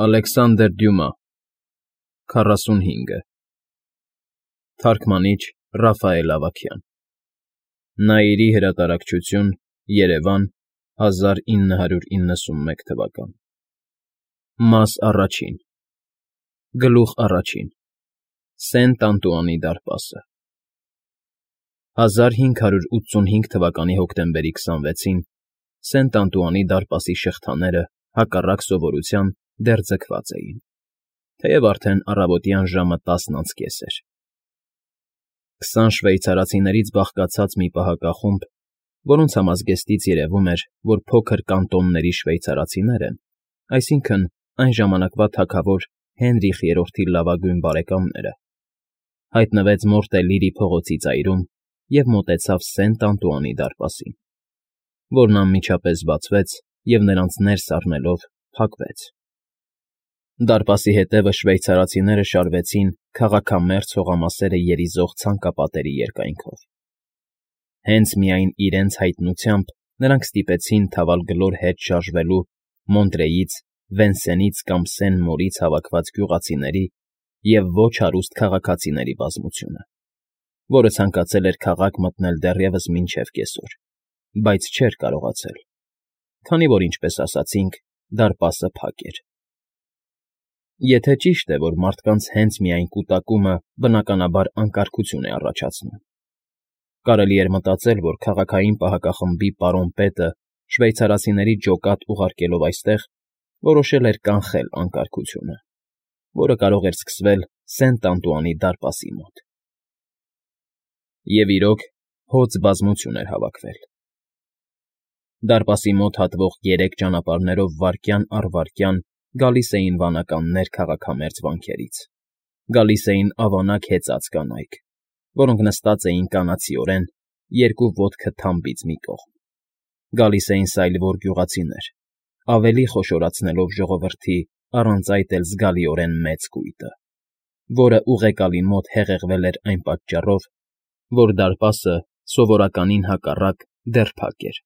Ալեքսանդր Դյումա, 45 Թարգմանիչ Ռաֆայել Ավագյան Նայիրի հրատարակչություն, Երևան, 1991 թվական Մաս առաջին Գլուխ առաջին Սենտ Անտուանի դարպասը 1585 թվականի հոկտեմբերի 26-ին Սենտ Անտուանի դարպասի շղթաները, հակառակ սովորության, դեռ ձգված էին, թեև արդեն առավոտյան ժամը 10:30 էր։ 20 շվեյցարացիներից բաղկացած մի պահակախումբ, որոնց համազգեստից երևում էր, որ փոքր կանտոնների շվեյցարացիներ են, այսինքն այն ժամանակվա թագավոր Հենրիխ III-ի լավագույն բարեկամները, հայտնվեց Մորտելիրի փողոցի ծայրում և մոտեցավ Սենտ Անտուանի դարպասին, որն անմիջապես բացվեց և նրանց ներս առնելով փակվեց։ Դարպասի հետևը շվեյցարացիները շարվեցին քաղաքամերձ հողամասերը երիզող ցանկապատերի երկայնքով։ Հենց միայն իրենց հայտնությամբ նրանք ստիպեցին թավալգլոր հետ շարժվելու Մոնտրեից, Վենսենից կամ Սեն֊Մորից հավաքված գյուղացիների և ոչ հարուստ քաղաքացիների բազմությունը, որը ցանկացել էր քաղաք մտնել դեռևս մինչև կեսօր, բայց չէր կարողացել, քանի որ, ինչպես ասացինք, դարպասը փակ էր։ Եթե ճիշտ է, որ մարդկանց հենց միայն կուտակումը բնականաբար անկարգություն է առաջացնում, կարելի էր մտածել, որ քաղաքային պահակախմբի պարոն պետը շվեյցարացիների ջոկատ ուղարկելով այստեղ, որոշել էր կանխել անկարգությունը, որը կարող էր սկսվել Սենտ Անտուանի դարպասի մոտ։ Եվ իրոք, հոծ բազմություն էր հավաքվել։ Դարպասի մոտ հատվող 3 ճանապարհներով վայրկյան առ վայրկյան գալիս էին վանականներ քաղաքամերձ վանքերից, գալիս էին ավանակ հեծած կանայք, որոնք նստած էին կանացիորեն, երկու ոտքը թամբից մի կողմ, գալիս էին սայլվոր գյուղացիներ, ավելի խոշորացնելով ժողովրդի առանց այդ էլ զգալիորեն մեծ կույտը, որը ուղեկալի մոտ հեղեղվել էր այն պատճառով, որ դարպասը սովորականին հակառակ դեռ փակ էր։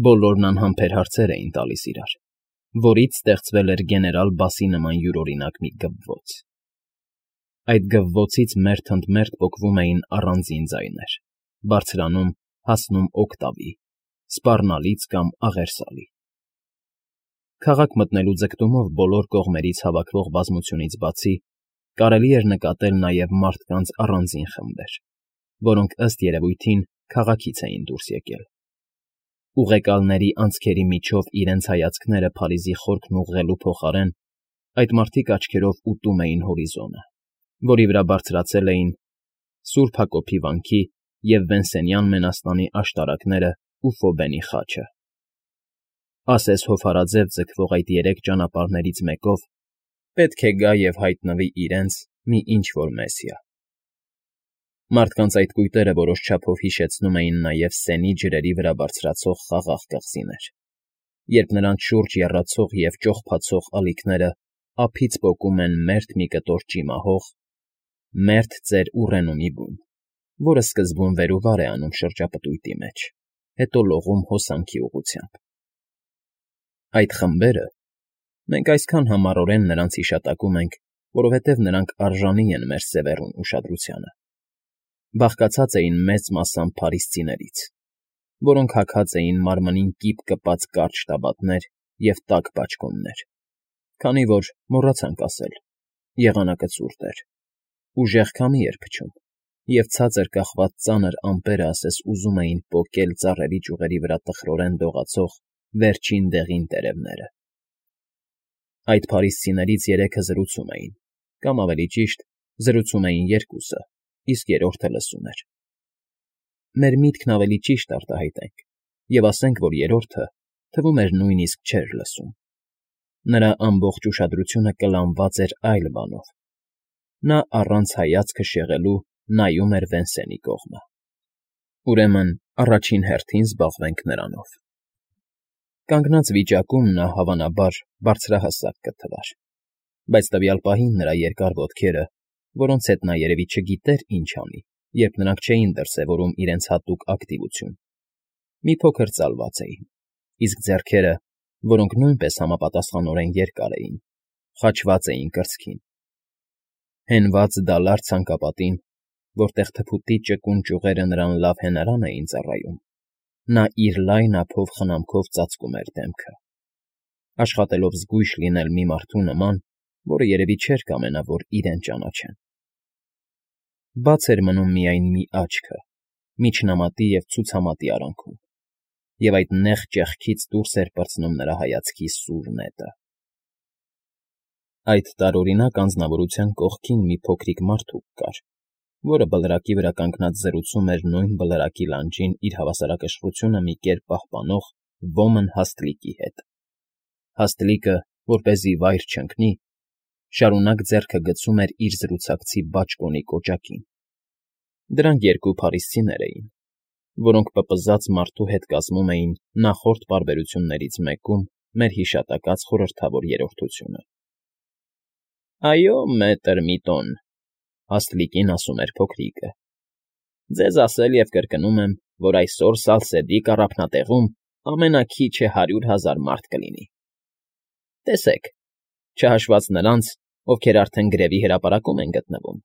Բոլորն անհամբեր հարցեր էին տալիս իրար, որից ստեղծվել էր գեներալ Բասի նման յուրօրինակ մի գվվոց։ Այդ գվվոցից մերթ ընդ մերթ պոկվում էին առանձին ձայներ, բարձրանում, հասնում օկտավի, սպառնալից կամ աղերսալի։ Քաղաք մտնելու ձգտումով բոլոր կողմերից հավաքվող բազմությունից բացի, կարելի էր նկատել նաև մարդկանց առանձին խմբեր, որոնք ըստ երևույթին քաղաքից էին դուրս եկել։ Ուղեկալների անցքերի միջով իրենց հայացքները Փարիզի խորքն ուղղելու փոխարեն, այդ մարդիկ աչքերով ուտում էին հորիզոնը, որի վրա բարձրացել էին Սուրբ Հակոբի վանքի և Վենսենյան մենաստանի աշտարակներն ու Ֆոբենի խաչը։ Ասես հովհարաձև ձգվող այդ 3 ճանապարհներից մեկով պետք է գա և հայտնվի իրենց մի ինչ֊որ Մեսիա։ Մարդկանց այդ կույտերը որոշ չափով հիշեցնում էին նաև Սենի ջրերի վրա բարձրացող խաղաղ կղզիներ, երբ նրանց շուրջ եռացող և ճողփացող ալիքները ափից պոկում են մերթ մի կտոր ճիմահող, մերթ ծեր ուռենումի բուն, որը սկզբում վեր ու վար է անում շրջապտույտի մեջ, հետո լողում հոսանքի ուղղությամբ։ Այդ խմբերը (մենք այսքան համառորեն նրանց հիշատակում ենք, որովհետև նրանք արժանի են մեր սևեռուն ուշադրությանը) բաղկացած էին մեծ մասամբ փարիսցիներից, որոնք հագած էին մարմնին կիպ կպած կարճ տաբատներ և տաք բաճկոններ, քանի որ, մոռացանք ասել, եղանակը ցուրտ էր, ուժեղ քամի էր փչում, և ցածր կախված ծանր ամպերը ասես ուզում էին պոկել ծառերի ճյուղերի վրա տխրորեն դողացող վերջին դեղին տերևները։ Այդ փարիսցիներից 3-ը զրուցում էին, կամ ավելի ճիշտ, զրուցում էին 2-ը, իսկ երրորդը լսում էր։ Մեր միտքն ավելի ճիշտ արտահայտենք, և ասենք, որ երրորդը, թվում էր, նույնիսկ չէր լսում։ Նրա ամբողջ ուշադրությունը կլանված էր այլ բանով։ Նա առանց հայացքը շեղելու նայում էր Վենսենի կողմը։ Ուրեմն, առաջին հերթին զբաղվենք նրանով։ Կանգնած վիճակում նա, հավանաբար, բարձրահասակ կթվար, բայց տվյալ պահին նրա երկար ոտքերը, որոնց հետ նա երևի չգիտեր ինչ անի, երբ նրանք չէին դրսևորում իրենց հատուկ ակտիվություն, մի փոքր ծալված էին, իսկ ձեռքերը, որոնք նույնպես համապատասխանորեն երկար էին, խաչված էին կրծքին։ Հենված դալար ցանկապատին, որտեղ թփուտի ճկուն ճյուղերը նրան լավ հենարան էին ծառայում, նա իր լայն ափով խնամքով ծածկում էր դեմքը, աշխատելով զգույշ լինել մի մարդու նման, որը երևի չէր կամենա, որ իրեն ճանաչեն։ Բաց էր մնում միայն մի աչքը, միջնամատի և ցուցամատի արանքում, և այդ նեղ ճեղքից դուրս էր պրծնում նրա հայացքի սուր նետը։ Այդ տարօրինակ անձնավորության կողքին մի փոքրիկ մարդուկ կար, որը բլրակի վրա կանգնած զրուցում էր նույն բլրակի լանջին իր հավասարակշռությունը մի կերպ պահպանող ոմն հաստլիկի հետ։ Հաստլիկը, որպեսզի վայր չընկնի, շարունակ ձեռքը գցում էր իր զրուցակցի բաճկոնի կոճակին։ Դրանք երկու փարիսցիներ էին, որոնք պպզած մարդու հետ կազմում էին նախորդ պարբերություններից մեկում մեր հիշատակած խորհրդավոր երրորդությունը։ Այո, մետր Միտոն, հաստլիկին ասում էր փոքրիկը, ձեզ ասել և կրկնում եմ, որ այսօր Սալսեդի կառափնատեղում ամենաքիչը 100,000 մարդ կլինի։ Տեսեք, չհաշված նրանց, ովքեր արդեն գրևի հրապարակում են գտնվում,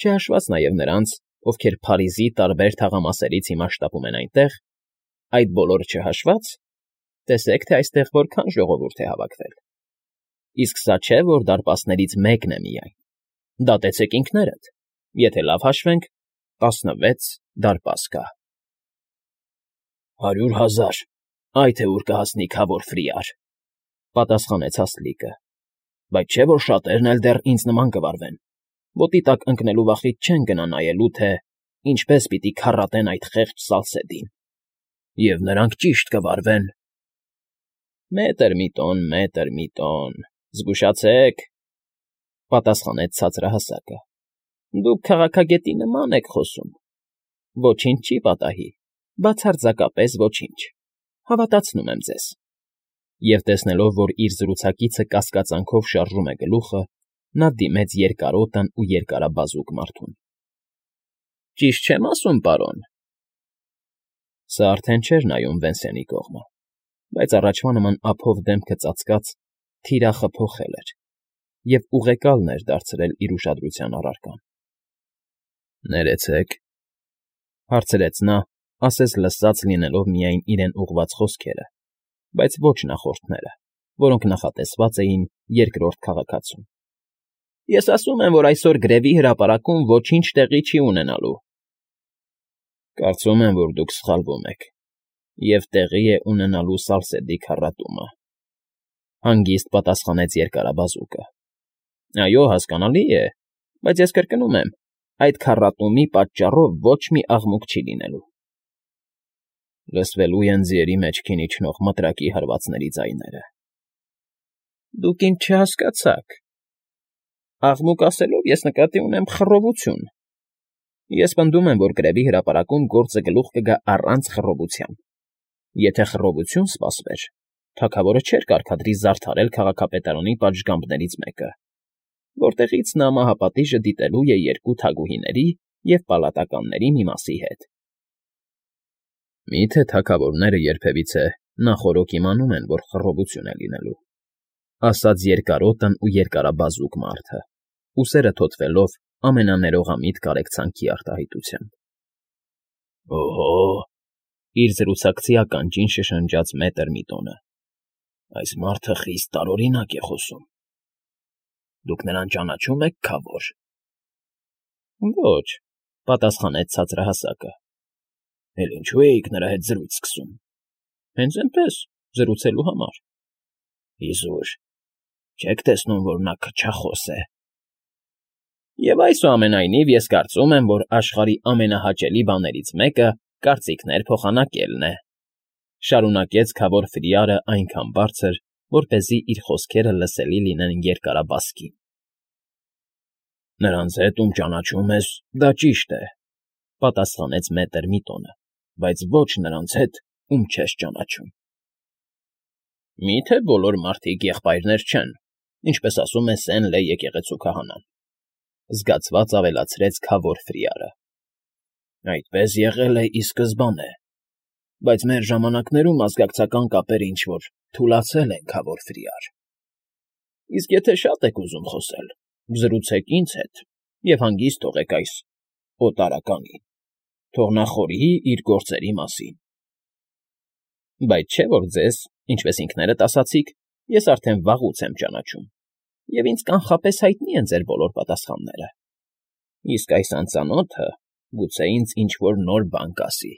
չհաշված նաև նրանց, ովքեր Փարիզի տարբեր թաղամասերից հիմա շտապում են այնտեղ, այդ բոլորը չհաշված, տեսեք, թե այստեղ որքան ժողովուրդ է հավաքվել։ Իսկ սա չէ, որ դարպասներից մեկն է միայն։ Դատեցեք ինքներդ, եթե լավ հաշվենք, 16 դարպաս կա։ 100,000, այ թե ուր կհասնի քավոր Ֆրիար, պատասխանեց Հաստլիկը, բայց չէ, որ շատերն էլ դեռ ինձ նման կվարվեն, ոտի տակ ընկնելու վախից չեն գնա նայելու, թե ինչպես պիտի քառատեն այդ խեղճ Սալսեդին, և նրանք ճիշտ կվարվեն։ Մետր Միտոն, զգուշացեք, պատասխանեց ցածրահասակը, դուք քաղաքագետի նման եք խոսում, ոչինչ չի պատահի, բացարձակապես ոչինչ, հավատացնում եմ ձեզ։ Եվ տեսնելով, որ իր զրուցակիցը կասկածանքով շարժում է գլուխը, նա դիմեց երկարոտն ու երկարաբազուկ մարդուն։ Ճիշտ չեմ ասում, պարոն։ Սա արդեն չէր նայում Վենսենի կողմը, բայց առաջվա նման ափով դեմքը ծածկած, թիրախը փոխել էր և ուղեկալն էր դարձրել իր ուշադրության առարկան։ Ներեցեք, հարցրեց նա, ասես լսած լինելով միայն իրեն ուղղված խոսքերը, բայց ոչ նախորդները, որոնք նախատեսված էին երկրորդ քաղաքացուն։ Ես ասում եմ, որ այսօր գրևի հրապարակում ոչինչ տեղի չի ունենալու։ Կարծում եմ, որ դուք սխալվում եք, և տեղի է ունենալու Սալսեդի քառատումը, հանգիստ պատասխանեց երկարաբազուկը։ Այո, հասկանալի է, բայց ես կրկնում եմ, այդ քառատումի պատճառով ոչ մի աղմուկ չի լինելու։ Լսվելու են ձիերի մեջքին իջնող մտրակի հարվածների ձայները։ Դուք ինձ չհասկացաք։ Աղմուկ ասելով ես նկատի ունեմ խռովություն։ Ես պնդում եմ, որ գրևի հրապարակում գործը գլուխ կգա առանց խռովության։ Եթե խռովություն սպասվեր, թագավորը չէր կարգադրի զարդարել քաղաքապետարանի պատշգամբներից մեկը, որտեղից նա մահապատիժը դիտելու է երկու թագուհիների և պալատականների մի մասի հետ։ Մի՞թե թագավորները երբևիցե նախօրոք իմանում են, որ խռովություն է լինելու, ասաց երկարոտն ու երկարաբազուկ մարդը, ուսերը թոթվելով ամենաներողամիտ կարեկցանքի արտահայտությամբ։ Օհո, իր զրուցակցի ականջին շշնջաց մետր Միտոնը։ Այս մարդը խիստ տարօրինակ է խոսում։ Դուք նրան ճանաչում եք, քավոր։ Ոչ, պատասխանեց ցածրահասակը։ Էլ ինչու էիք նրա հետ զրույց սկսում։ Հենց այնպես, զրուցելու համար։ Իզուր, չեք տեսնում, որ նա քչախոս է։ Եվ այսուամենայնիվ ես կարծում եմ, որ աշխարհի ամենահաճելի բաներից մեկը կարծիքներ փոխանակելն է, շարունակեց քավոր Ֆրիարը այնքան բարձր, որպեսզի իր խոսքերը լսելի լինեն երկարաբասկին։ Նրանց հետ, ում ճանաչում ես, դա ճիշտ է, պատասխանեց մետր Միտոնը, բայց ոչ նրանց հետ, ում չես ճանաչում։ Մի՞թե բոլոր մարդիկ եղբայրներ չեն, ինչպես ասում է Սեն֊Լե եկեղեցու քահանան, զգացված ավելացրեց քավոր Ֆրիարը։ Այդպես եղել է ի սկզբանե, բայց մեր ժամանակներում ազգակցական կապերը ինչ֊որ թուլացել են, քավոր Ֆրիար։ Իսկ եթե շատ եք ուզում խոսել, զրուցեք ինձ հետ և հանգիստ թողեք այս օտարականին, թող նա խորհի իր գործերի մասին։ Բայց չէ՞ որ ձեզ, ինչպես ինքներդ ասացիք, ես արդեն վաղուց եմ ճանաչում, և ինձ կանխապես հայտնի են ձեր բոլոր պատասխանները, իսկ այս անծանոթը գուցե ինձ ինչ֊որ նոր բան կասի։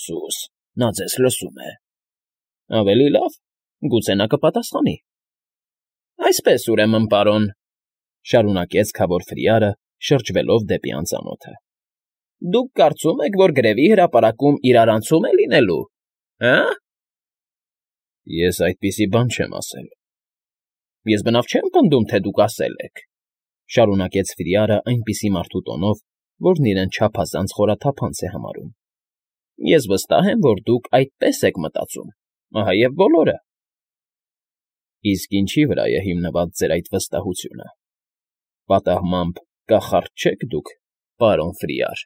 Սուս, նա ձեզ լսում է։ Ավելի լավ, գուցե նա կպատասխանի։ Այսպես, ուրեմն, պարոն,֊ շարունակեց քավոր Ֆրիարը, շրջվելով դեպի անծանոթը,֊ դուք կարծում եք, որ գրևի հրապարակում իրարանցում է լինելու, հը՞։ Ես այդպիսի բան չեմ ասել։ Ես բնավ չեմ պնդում, թե դուք ասել եք,֊ շարունակեց Ֆրիարը այնպիսի մարդու տոնով, որն իրեն չափազանց խորաթափանց է համարում։ Ես վստահ եմ, որ դուք այդպես եք մտածում, ահա և բոլորը։ Իսկ ինչի՞ վրա է հիմնված ձեր այդ վստահությունը, պատահմամբ կախարդ չե՞ք դուք, պարոն Ֆրիար։